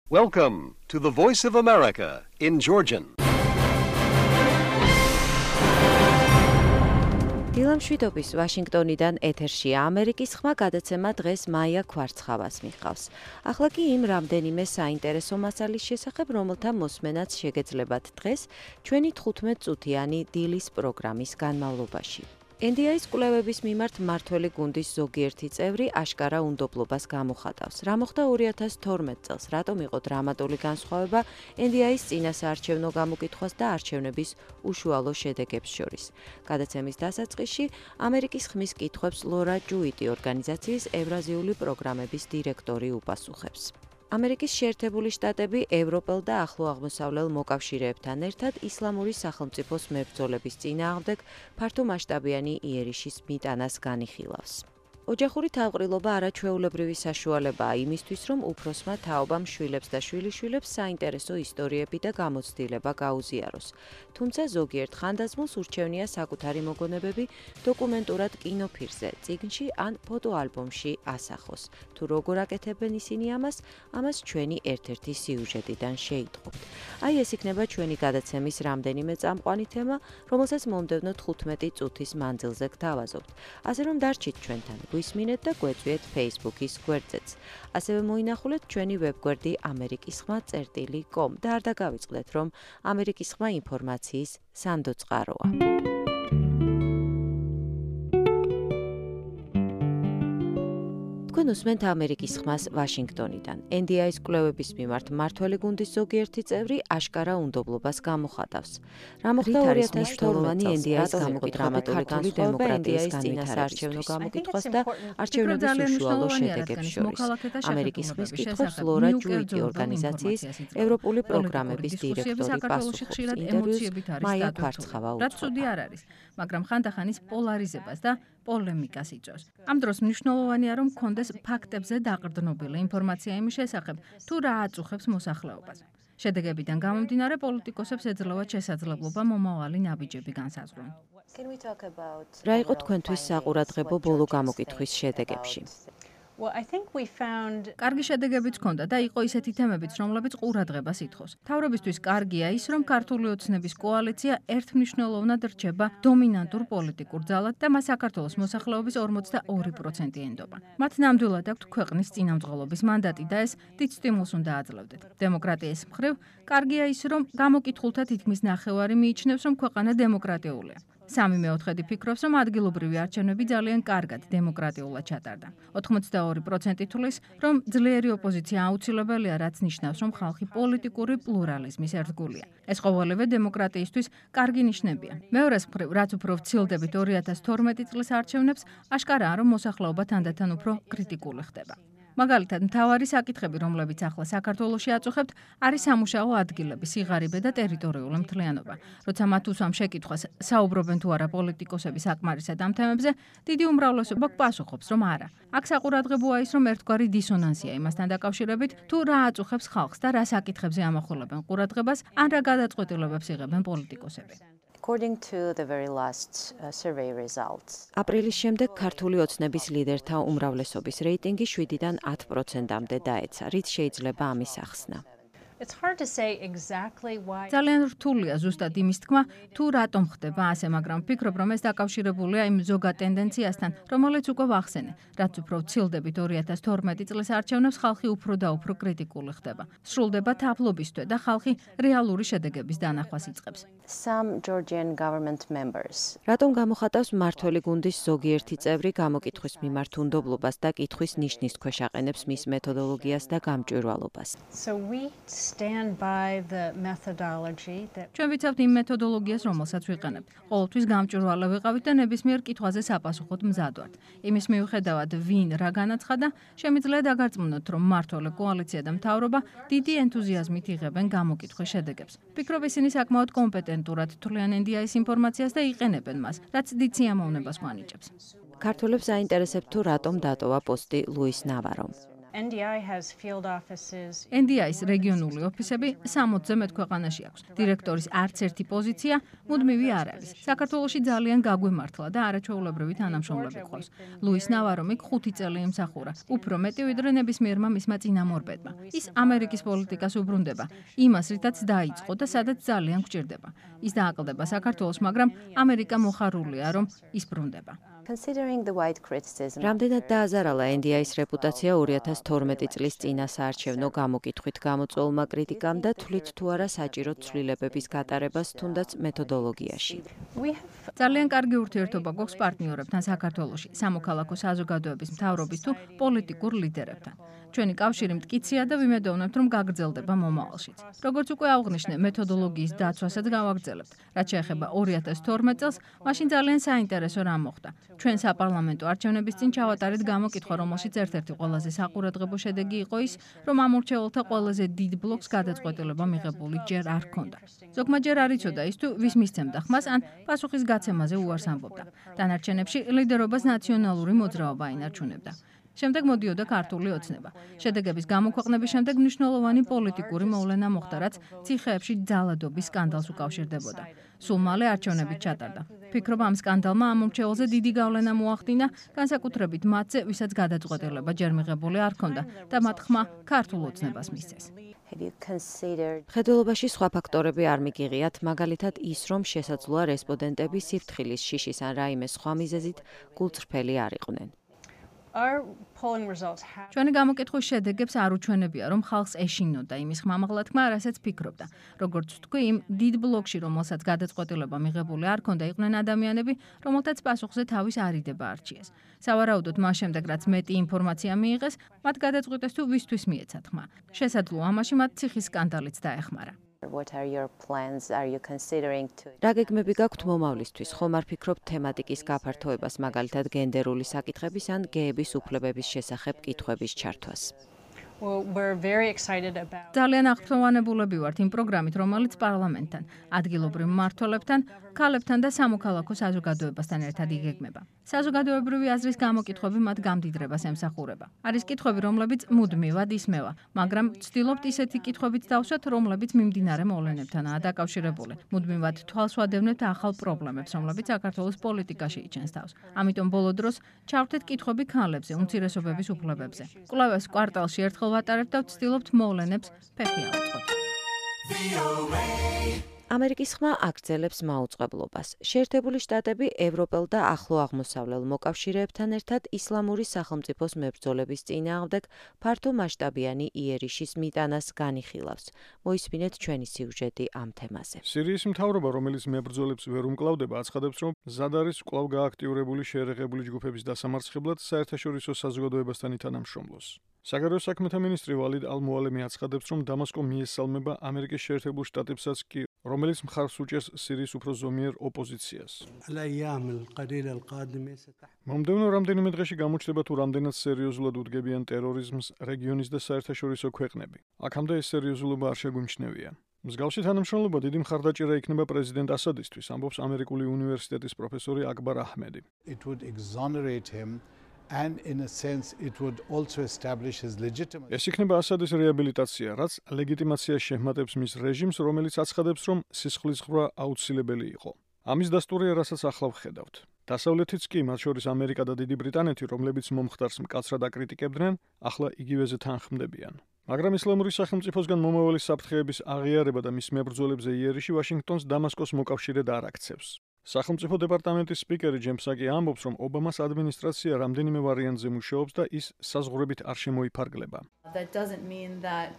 Welcome to the Voice of America in Georgian. დილამ შვიდობის ვაშინგტონიდან ეთერშია ამერიკის ხმა გადაცემა დღეს მაია ქვარცხავას მიყავს. ახლა კი იმ რამდენიმე საინტერესო მასალის შესახებ, რომელთა მოსმენაც შეგეძლებათ დღეს ჩვენი 15 წუთიანი დილის პროგრამის განმავლობაში. NDI-ის კვლევების მიმართ მმართველი გუნდის ზოგიერთი წევრი აშკარა უნდობლობას გამოხატავს. რა მოხდა 2012 წელს, რატომ იყო დრამატული განსხვავება NDI-ის წინასაარჩევნო გამოკითხვას და არჩევნების უშუალო შედეგებს შორის. გადაცემის დასაწყისში ამერიკის ხმის კითხვებს ლორა ჯუიტი ორგანიზაციის ევრაზიული პროგრამების დირექტორი უპასუხებს. ამერიკის შეერთებული შტატები ევროპელ და ახლო აღმოსავლელ მოკავშირეებთან ერთად ისლამური სახელმწიფოს მებრძოლების წინააღმდეგ ფართომასშტაბიანი იერიშის მიტანას განიხილავს. ოჯახური თავყრილობა არაჩვეულებრივი საშუალებაა იმისთვის, რომ უფროსმა თაობამ შვილებს და შვილიშვილებს საინტერესო ისტორიები და გამოცდილება გაუზიაროს. თუმცა ზოგიერთ ხანდაზმულს ურჩევნია საკუთარი მოგონებები დოკუმენტურად კინოფილმზე, წიგნში ან ფოტოალბომში ასახოს. თუ როგორ აკეთებენ ისინი ამას ჩვენი ერთ-ერთი სიუჟეტიდან შეიტყობთ. აი ეს იქნება ჩვენი გადაცემის რამდენიმე წამყვანი თემა, რომელსაც მომდევნო 15 წუთის მანძილზე გთავაზობთ. ასე რომ დარჩით ჩვენთან. გვისმინეთ და გვეწვიეთ Facebook-ის გვერდზეც. ასევე მოინახულეთ ჩვენი ვებგვერდი amerikisxma.com და არ დაგავიწყდეთ, რომ ამერიკის ხმა ინფორმაციის სანდო წყაროა. თქვენ უსმენთ ამერიკის ხმას ვაშინგტონიდან. NDI-ის კვლევების მიმართ მმართველი გუნდის ზოგიერთი წევრი აშკარა უნდობლობას გამოხატავს. რა მოხდა 2012 NDI-ის გამოკითხვები ქართული დემოკრატიის წინასაარჩევნო გამოკითხვას და არჩევნების უშუალო შედეგებს შორის. ამერიკის ხმის კითხვებს ლორა ჯუიტი ორგანიზაციის ევროპული პროგრამების დირექტორი პასუხობს. ინტერვიუს მაია ქვარცხავა რაც ცუდი არ არის, მაგრამ ხანდახანის პოლარიზებას და პოლემიკას იწვევს. ამ დროს მნიშვნელოვანია, რომ კონდეს ფაქტებზე დაყრდნობილი ინფორმაცია იმის შესახებ, თუ რა აწუხებს მოსახლეობას. შედეგებიდან გამომდინარე პოლიტიკოსებს ეძლევათ შესაძლებლობა მომავალი ნაბიჯები განსაზღვრონ. რა იყო თქვენთვის საყურადღებო ბოლო გამოკითხვის შედეგებში? კარგი შედეგებიც ჰქონდა და იყო ისეთი თემებიც, რომლებიც ყურადღებას ითხოვს. მთავრობისთვის კარგია ის, რომ ქართული ოცნების კოალიცია ერთმნიშვნელოვნად რჩება დომინანტურ პოლიტიკურ ძალად და მას საქართველოს მოსახლეობის 42% ენდობა. მათ ნამდვილად აქვთ ქვეყნის წინამძღოლობის მანდატი და ეს დიდ სტიმულს უნდა აძლევდეთ. დემოკრატიის მხრივ, კარგია ის, რომ გამოკითხულთა თითქმის ნახევარი მიიჩნევს, რომ ქვეყანა დემოკრატიულია. 3/4 ფიქრობს, რომ ადგილობრივი არჩევნები ძალიან კარგად დემოკრატიულად ჩატარდა. 82% თვლის, რომ ძლიერი ოპოზიცია აუცილებელია, რაც ნიშნავს, რომ ხალხი პოლიტიკური პლურალიზმის ერთგულია. ეს ყოველივე დემოკრატიისთვის კარგი ნიშნებია. მეორეს მხრივ, რაც უფრო ვცილდებით 2012 წლის არჩევნებს, აშკარაა, რომ მოსახლეობა თანდათან უფრო კრიტიკული ხდება. მაგალითად, მთავარი საკითხები, რომლებიც ახლა საქართველოში აწუხებთ, არის სამუშაო ადგილები, სიღარიბე და ტერიტორიული მთლიანობა. როცა მათ უსვამ შეკითხვას, საუბრობენ თუ არა პოლიტიკოსები საკმარისად ამ თემებზე, დიდი უმრავლესობა პასუხობს, რომ არა. აქ საყურადღებოა ის, რომ ერთგვარი დისონანსია იმასთან დაკავშირებით, თუ რა აწუხებს ხალხს და რა საკითხებზე ამახვილებენ ყურადღებას, ან რა გადაწყვეტილებებს იღებენ პოლიტიკოსები. აპრილის შემდეგ ქართული ოცნების ლიდერთა უმრავლესობის რეიტინგი 7-დან 10%-მდე დაეცა. რით შეიძლება ამის ახსნა? ძალიან რთულია ზუსტად იმის თქმა, თუ რატომ ხდება ასე, მაგრამ ვფიქრობ, რომ ეს დაკავშირებულია იმ ზოგად ტენდენციასთან, რომელიც უკვე ვახსენე, რაც უფრო ვცილდებით 2012 წლის არჩევნებს ხალხი უფრო და უფრო კრიტიკული ხდება. სრულდება თაფლობისთვის და ხალხი რეალური შედეგების დანახვას იწყებს. რატომ გამოხატავს მმართველი გუნდის ზოგიერთი წევრი გამოკითხვის მიმართ უნდობლობას და კითხვის ნიშნის ქვეშ აყენებს მის მეთოდოლოგიას და გამჭვირვალობას? ჩვენ ვიცავთ იმ მეთოდოლოგიას, რომელსაც ვიყენებთ. ყოველთვის გამჭვირვალე ვიყავით და ნებისმიერ კითხვაზე საპასუხოდ მზად ვართ. იმის მიუხედავად, ვინ რა განაცხადა, შემიძლია დაგარწმუნოთ, რომ მმართველი კოალიცია და მთავრობა დიდი ენთუზიაზმით იღებენ გამოკითხვის შედეგებს. ვფიქრობ, ისინი საკმაოდ კომპეტენტურად თვლიან NDI-ის ინფორმაციას და იყენებენ მას, რაც დიდ სიამოვნებას გვანიჭებს. ქართველებს აინტერესებთ თუ რატომ დატოვა პოსტი ლუის ნავარომ. NDI-ის რეგიონული ოფისები 60-ზე მეტ ქვეყანაში აქვს. დირექტორის არც ერთი პოზიცია მუდმივი არ არის. საქართველოში ძალიან გაგვემართლა და არაჩვეულებრივი თანამშრომლები ყავს. ლუის ნავარომი 5 წელი იმსახურა. უფრო მეტი ვიდრე ნებისმიერმა მისმა წინამორბედმა. ის ამერიკის პოლიტიკას უბრუნდება, იმას რითაც დაიწყო და სადაც ძალიან გვჭირდება. ის დააკლდება საქართველოს, მაგრამ ამერიკა მოხარულია, რომ ის ბრუნდება. რამდენად დააზარალა NDI-ის რეპუტაცია 2012 წლის წინა საარჩევნო გამოკითხვით გამოწვეულმა კრიტიკამ და თვლით თუ არა საჭირო ცვლილებების გატარებას თუნდაც მეთოდოლოგიაში. ძალიან კარგი ურთიერთობა გვაქვს პარტნიორებთან საქართველოში, სამოქალაქო საზოგადოების მთავრობის თუ პოლიტიკურ ლიდერებთან. ჩვენი კავშირი მტკიცია და ვიმედოვნებთ, რომ გაგრძელდება მომავალშიც. როგორც უკვე აღვნიშნე, მეთოდოლოგიის დაცვასაც გავაგრძელებთ. რაც შეეხება 2012 წელს, მაშინ ძალიან საინტერესო რამ მოხდა. ჩვენ საპარლამენტო არჩევნების წინ ჩავატარეთ გამოკითხვა, რომელშიც ერთ-ერთი ყველაზე საყურადღებო შედეგი იყო ის, რომ ამორჩეულთა ყველაზე დიდ ბლოკს გადაწყვეტილება მიღებული ჯერ არ ჰქონდა. ზოგმა ჯერ არ იცოდა ის თუ ვის მისცემდა ხმას ან პასუხის გაცემაზე უარს ამბობდა. დანარჩენებში ლიდერობას ნაციონალური მოძრაობა ინარჩუნებდა. შემდეგ მოდიოდა ქართული ოცნება. შედეგების გამოქვეყნების შემდეგ მნიშვნელოვანი პოლიტიკური მოვლენა მოხდა, რაც ციხეებში ძალადობის სკანდალს უკავშირდებოდა. სულ მალე არჩევნებით ჩატარდა. ფიქრობ, ამ სკანდალმა ამორჩეულზე დიდი გავლენა მოახდინა, განსაკუთრებით მათზე, ვისაც გადაწყვეტილება ჯერ მიღებული არ ჰქონდა და მათ ხმა ქართულ ოცნებას მისცეს. მხედველობაში სხვა ფაქტორები არ მიგიღიათ, მაგალითად ის, რომ შესაძლოა რესპონდენტები სიფრთხილის, შიშის ან რაიმე სხვა მიზეზით გულწრფელი არ იყვნენ. ჩვენი გამოკითხვის შედეგებს არ უჩვენებია, რომ ხალხს ეშინოდა იმის ხმამაღლა, რასაც ფიქრობდა. როგორც ვთქვი, იმ დიდ ბლოკში, რომელსაც გადაწყვეტილება მიღებული არ ჰქონდა, იყვნენ ადამიანები, რომელთაც პასუხზე თავის არიდება არჩიეს. სავარაუდოდ, მას შემდეგ, რაც მეტი ინფორმაცია მიიღეს, მათ გადაწყვიტეს თუ ვისთვის მიეცათ ხმა. შესაძლოა, ამაში მათ ციხის სკანდალიც დაეხმარა. რა გეგმები გაქვთ მომავლისთვის? ხომ არ ფიქრობთ თემატიკის გაფართოებას, მაგალითად გენდერული საკითხების ან გეების უფლებების შესახებ კითხვების ჩართვას? ძალიან აღფრთოვანებულები ვართ იმ პროგრამით, რომელიც პარლამენტთან, ადგილობრივ მმართველებთან, ქალებთან და სამოქალაქო საზოგადოებასთან ერთად იგეგმება. საზოგადოებრივი აზრის გამოკითხვები მათ გამდიდრებას ემსახურება. არის კითხვები, რომლებიც მუდმივად ისმევა, მაგრამ ვცდილობთ ისეთი კითხვებით დავსვათ, რომლებიც მიმდინარე მოვლენებთანაა დაკავშირებული. მუდმივად თვალს ვადევნებთ ახალ პრობლემებს, რომლებიც საქართველოს პოლიტიკაში იჩენს თავს. ამიტომ ბოლო დროს ჩავთეთ კითხვები ქალებზე, უმცირესობების უფლებებზე. კვლევას კვარტალში ერთხელ ვატარებთ და ვცდილობთ მოვლენებს ფეხი ავუწყოთ. ამერიკის ხმა აგრძელებს მაუწყებლობას. შეერთებული შტატები ევროპელ და ახლო აღმოსავლელ მოკავშირეებთან ერთად ისლამური სახელმწიფოს მებრძოლების წინააღმდეგ ფართო მასშტაბიანი იერიშის მიტანას განიხილავს. მოისმინეთ ჩვენი სიუჟეტი ამ თემაზე. სირიის მთავრობა, რომელიც მებრძოლებს ვერ უმკლავდება, აცხადებს, რომ მზად არის კვლავ გააქტიურებული შეერაღებული ჯგუფების დასამარცხებლად საერთაშორისო საზოგადოებასთან ითანამშრომლოს. საგარეო საქმეთა მინისტრი ვალიდ ალ-მუალემი აცხადებს, რომ დამასკო მიესალმება ამერიკის შეერთებულ შტატებსაც კი, რომელიც მხარს უჭერს სირიის უფრო ზომიერ ოპოზიციას. მომდევნო რამდენიმე დღეში გამოჩნდება, თუ რამდენად სერიოზულად უდგებიან ტერორიზმს რეგიონის და საერთაშორისო ქვეყნები. აქამდე ეს სერიოზულობა არ შეგვიმჩნევია. მსგავსი თანამშრომლობა დიდი მხარდაჭერა იქნება პრეზიდენტ ასადისთვის, ამბობს ამერიკული უნივერსიტეტის პროფესორი აკბარ აჰმედი. And in a sense it would also establish his legitimacy. ეს იქნება ასადის რეაბილიტაცია, რაც ლეგიტიმაციას შეჰმატებს მის რეჟიმს, რომელიც აცხადებს, რომ სისხლის ხრა აუცილებელი იყო. ამის დასტურია, რასაც ახლა ვხედავთ. დასავლეთიც კი, მათ შორის ამერიკა და დიდი ბრიტანეთი, რომლებიც მომხდარს მკაცრად აკრიტიკებდნენ, ახლა იგივეზე თანხმდებიან. მაგრამ ისლამური სახელმწიფოსგან მომავალი საფრთხეების აღიარება და მის მებრძოლებზე იერიში ვაშინგტონს დამასკოს მოკავშირედ არ აქცევს. სახელმწიფო დეპარტამენტის სპიკერი ჯემსაკი ამბობს, რომ ობამას ადმინისტრაცია რამდენიმე ვარიანტზე მუშაობს და ის საზღვრებით არ შემოიფარგლება. That doesn't mean that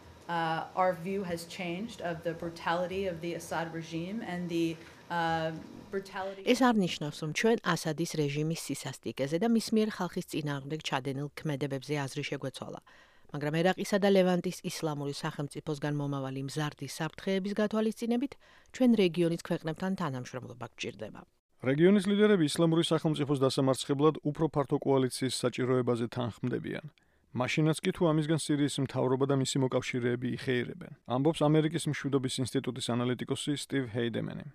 our view has changed of the brutality of the Assad regime and the brutality. ეს არ ნიშნავს, რომ ჩვენ ასადის რეჟიმის სისასტიკეზე და მის მიერ ხალხის წინააღმდეგ ჩადენილ ქმედებებზე აზრი შეგვეცვალა. მაგრამ ერაყისა და ლევანტის ისლამური სახელმწიფოსგან მომავალი მზარდი საფრთხეების გათვალისწინებით ჩვენ რეგიონის ქვეყნებთან თანამშრომლობა გვჭირდება. რეგიონის ლიდერები ისლამური სახელმწიფოს დასამარცხებლად უფრო ფართო კოალიციის საჭიროებაზე თანხმდებიან. მაშინაც კი თუ ამისგან სირიის მთავრობა და მისი მოკავშირეები იხეირებენ. ამბობს ამერიკის მშვიდობის ინსტიტუტის ანალიტიკოსი სტივ ჰეიდემენი.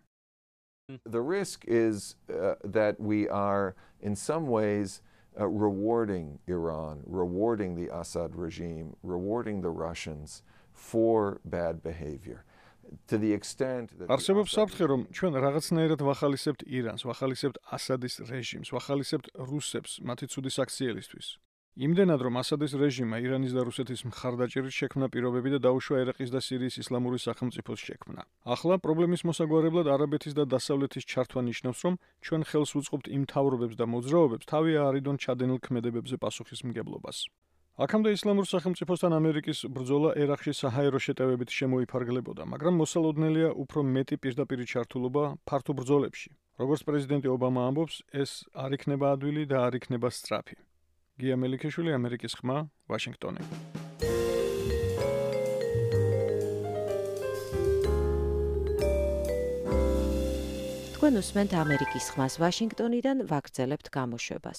The risk is that we are in some ways rewarding Iran, rewarding the Assad regime, rewarding the Russians for bad behavior. To the extent that არსებობს საფრთხე, რომ ჩვენ რაღაცნაირად ვახალისებთ ირანს, ვახალისებთ ასადის რეჟიმს, ვახალისებთ რუსებს მათი ცუდი საქციელისთვის. იმდენად, რომ ასადის რეჟიმმა ირანის და რუსეთის მხარდაჭერით შექმნა პირობები და დაუშვა ერაყის და სირიის ისლამური სახელმწიფოს შექმნა. ახლა პრობლემის მოსაგვარებლად არაბეთის და დასავლეთის ჩართვა ნიშნავს, რომ ჩვენ ხელს უწყობთ იმ მთავრობებს და მოძრაობებს თავი აარიდონ ჩადენილ ქმედებებზე პასუხისმგებლობას. აქამდე ისლამურ სახელმწიფოსთან ამერიკის ბრძოლა ერაყში საჰაერო შეტევებით შემოიფარგლებოდა, მაგრამ მოსალოდნელია უფრო მეტი პირდაპირი ჩართულობა ფართო ბრძოლებში. როგორც პრეზიდენტი ობამა ამბობს, ეს არ იქნება ადვილი და არ იქნება სწრაფი. გია მელიქიშვილი, ამერიკის ხმა, ვაშინგტონი. თქვენ უსმენთ ამერიკის ხმას ვაშინგტონიდან ვაგრძელებთ გამოშვებას.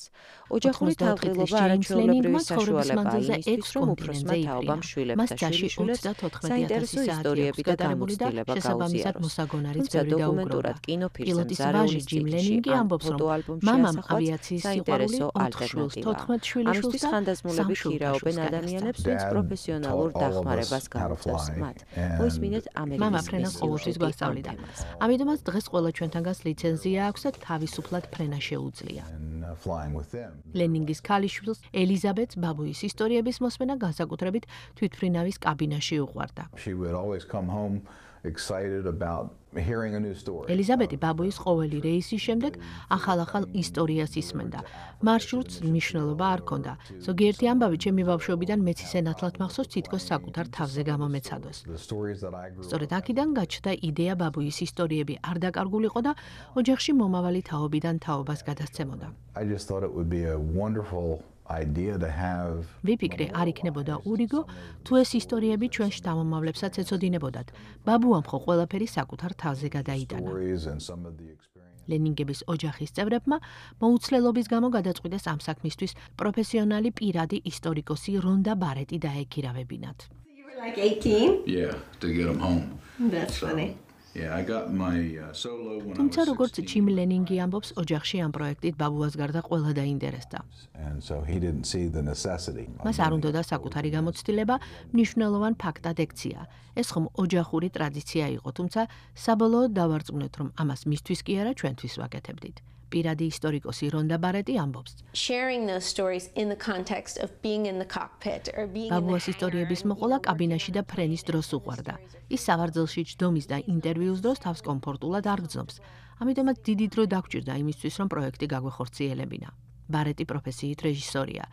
ოჯახური თავყრილობა არაჩვეულებრივი საშუალებაა იმისთვის, რომ უფროსმა თაობამ შვილებს და შვილიშვილებს საინტერესო ისტორიები და გამოცდილება გაუზიაროს. თუმცა დოკუმენტურად კინოფილმზე მზარეული სტილში ან ფოტოალბომში ასახავს საინტერესო ალტერნატივაა. ამისთვის ხანდაზმულები ხირაობენ ადამიანებს, ვინც პროფესიონალურ დახმარებას გაუწევს მათ. მოისმინეთ ამერიკის ხმის ამიტომაც დღეს ყველა ჩვენთან ლიცენზია აქვს და თავისუფლად ფრენა შეუძლია. ლენინგის ქალიშვილს ელიზაბეტს ბაბუის ისტორიების მოსმენა განსაკუთრებით თვითმფრინავის კაბინაში უყვარდა. ელიზაბეტი ბაბუის ყოველი რეისის შემდეგ ახალ ისტორიას ისმენდა. მარშრუტს მნიშვნელობა არ ჰქონდა. ზოგიერთი ამბავი ჩემი ბავშვობიდან მეც ისე ნათლად მახსოვს, თითქოს საკუთარ თავზე გამომეცადოს. სწორედ აქედან გაჩნდა იდეა ბაბუის ისტორიები არ დაკარგულიყო და ოჯახში მომავალი თაობიდან თაობას გადასცემოდა. ვიფიქრე, არ იქნებოდა ურიგო, თუ ეს ისტორიები ჩვენ შთამომავლებსაც ეცოდინებოდათ. ბაბუამ ხო ყველაფერი საკუთარ თავზე გადაიტანა. ლენინგების ოჯახის წევრებმა მოუცლელობის გამო გადაწყვიტეს ამ საქმისთვის პროფესიონალი პირადი ისტორიკოსი რონდა ბარეტი დაეკირავებინათ. თუმცა როგორც ჯიმ ლენინგი ამბობს, ოჯახში ამ პროექტით ბაბუას გარდა ყველა დაინტერესდა. მას არ უნდოდა საკუთარი გამოცდილება, მნიშვნელოვან ფაქტად ექცია. ეს ხომ ოჯახური ტრადიცია იყო, თუმცა საბოლოოდ დავარწმუნეთ, რომ ამას მისთვის კი არა, ჩვენთვის ვაკეთებდით. პირადი ისტორიკოსი რონდა ბარეტი ამბობს. ბაბუას ისტორიების მოყოლა კაბინაში და ფრენის დროს უყვარდა. ის სავარძელში ჯდომის და ინტერვიუს დროს თავს კომფორტულად არ გრძნობს. ამიტომაც დიდი დრო დაგჭირდა იმისთვის, რომ პროექტი გაგვეხორციელებინა. ბარეტი პროფესიით რეჟისორია.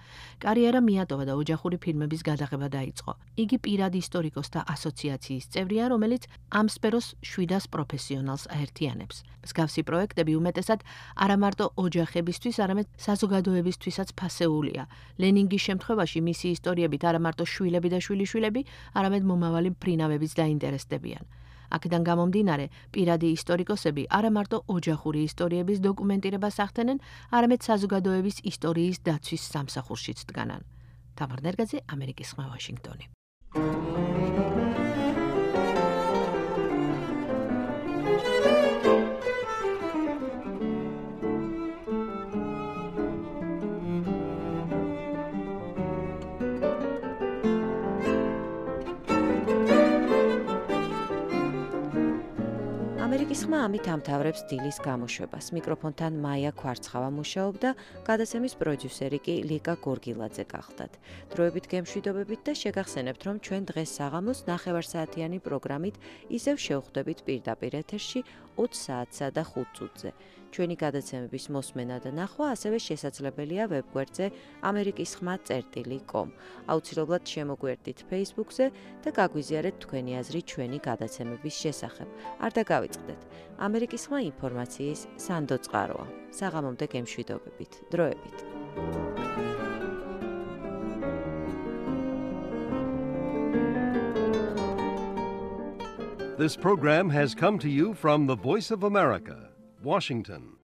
კარიერა მიატოვა და ოჯახური ფილმების გადაღება დაიწყო. იგი პირადი ისტორიკოსთა ასოციაციის წევრია, რომელიც ამ სფეროს 700 პროფესიონალს აერთიანებს. მსგავსი პროექტები უმეტესად არა მარტო ოჯახებისთვის, არამედ საზოგადოებისთვისაც ფასეულია. ლენინგის შემთხვევაში მისი ისტორიებით არა მარტო შვილები და შვილიშვილები, არამედ მომავალი მფრინავებიც დაინტერესდებიან. აქედან გამომდინარე, პირადი ისტორიკოსები არა მარტო ოჯახური ისტორიების დოკუმენტირებას ახდენენ, არამედ საზოგადოების ისტორიის დაცვის სამსახურშიც დგანან. თამარ ნერგაძე, ამერიკის ხმა, ვაშინგტონი. ამერიკის ხმა ამით ამთავრებს დილის გამოშვებას. მიკროფონთან მაია ქვარცხავა მუშაობდა, გადაცემის პროდიუსერი კი ლიკა გორგილაძე გახლდათ. დროებით გემშვიდობებით და შეგახსენებთ, რომ ჩვენ დღეს საღამოს 9 საათიანი პროგრამით ისევ შევხვდებით პირდაპირ ეთერში 20 საათსა და 5 წუთზე. ჩვენი გადაცემების მოსმენა და ნახვა ასევე შესაძლებელია ვებგვერდზე amerikiskhma.com. აუცილებლად შემოგვერდით Facebook-ზე და გაგვიზიარეთ თქვენი აზრი ჩვენი გადაცემების შესახებ. არ დაგავიწყდეთ. ამერიკის ხმა ინფორმაციის სანდო წყაროა. საღამომდე გემშვიდობებით. დროებით. This program has come to you from the Voice of America, Washington.